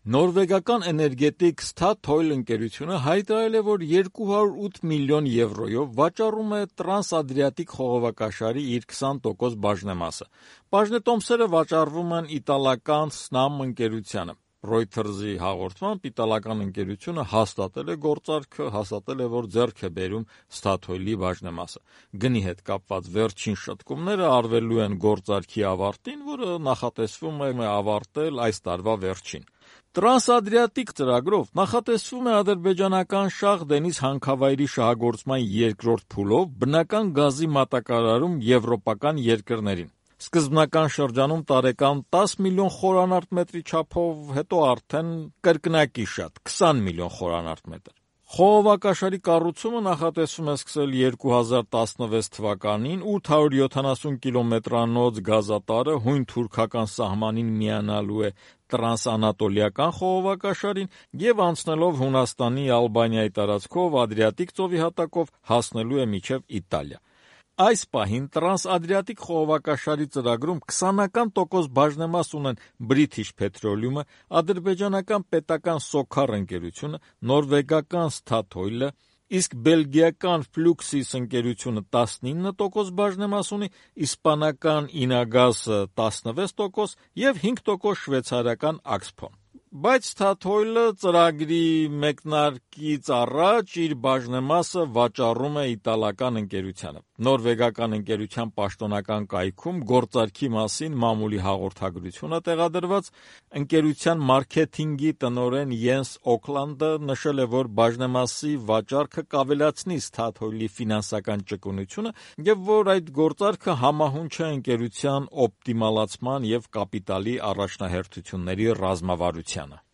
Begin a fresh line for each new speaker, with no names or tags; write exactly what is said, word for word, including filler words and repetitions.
Նորվեգական էներգետիկ Statoil ընկերությունը հայտարարել է, որ երկու հարյուր ութ միլիոն եվրոյով վաճառում է Տրանսադրիատիկ խողովակաշարի իր քսան տոկոս բաժնեմասը։ Բաժնետոմսերը վաճառվում են իտալական Snam ընկերությանը։ Reuters-ի հաղորդմամբ իտալական ընկերությունը հաստատել է գործարքը, հաստատել է, որ ձեռք է բերում Statoil-ի բաժնեմասը։ Գնի հետ կապված վերջին շտկումները արվելու են գործարքի ավարտին, որը նախատեսվում է ավարտել այս տարվա վերջին։ Տրանսադրիատիկ ծրագրով նախատեսվում է ադրբեջանական Շախ Դենիզ հանքավայրի շահագործման երկրորդ փուլով բնական գազի մատակարարում եվրոպական երկրներին։ Սկզբնական շրջանում տարեկան տասը միլիոն խորանարդ չափով, հետո արդեն կրկնակի շատ քսան միլիոն խորանարդ։ Խողովակաշարի կառուցումը նախատեսվում է սկսել երկու հազար տասնվեց թվականին ութ հարյուր յոթանասուն կիլոմետրանոց գազատարը հույն թուրքական սահմանին միանալու է տրանսանատոլիական խողովակաշարին և անցնելով Հունաստանի, Ալբանիայի տարածքով Ադրիատիկ ծովի հատակով հասնելու է մինչև Իտալիա։ Այս պահին Տրանսադրիատիկ խողովակաշարի ծրագրում քսանական տոկոս բաժնեմաս ունեն British Petroleum-ը, ադրբեջանական պետական Սոքար ընկերությունը, նորվեգական Statoil-ը, իսկ բելգիական Fluxys ընկերությունը տասնինը տոկոս բաժնեմաս ունի, իսպանական Ինագասը տասնվեց տոկոս և հինգ տոկոս շվեյցարական Axpo։ Բայց Statoil-ը ծրագրի մեկնարկից առաջ իր բաժնեմասը վաճառում է իտալական ընկերությանը։ Նորվեգական ընկերության պաշտոնական կայքում գործարքի մասին մամուլի հաղորդագրություն է տեղադրված։ Ընկերության մարքեթինգի տնօրեն Յենս Օքլանդը նշել է, որ բաժնեմասի վաճառքը կավելացնի Statoil-ի ֆինանսական ճկունությունը և որ այդ գործարքը համահունչ է ընկերության օպտիմալացման և կապիտալի առաջնահերթությունների ռազմավարությանը։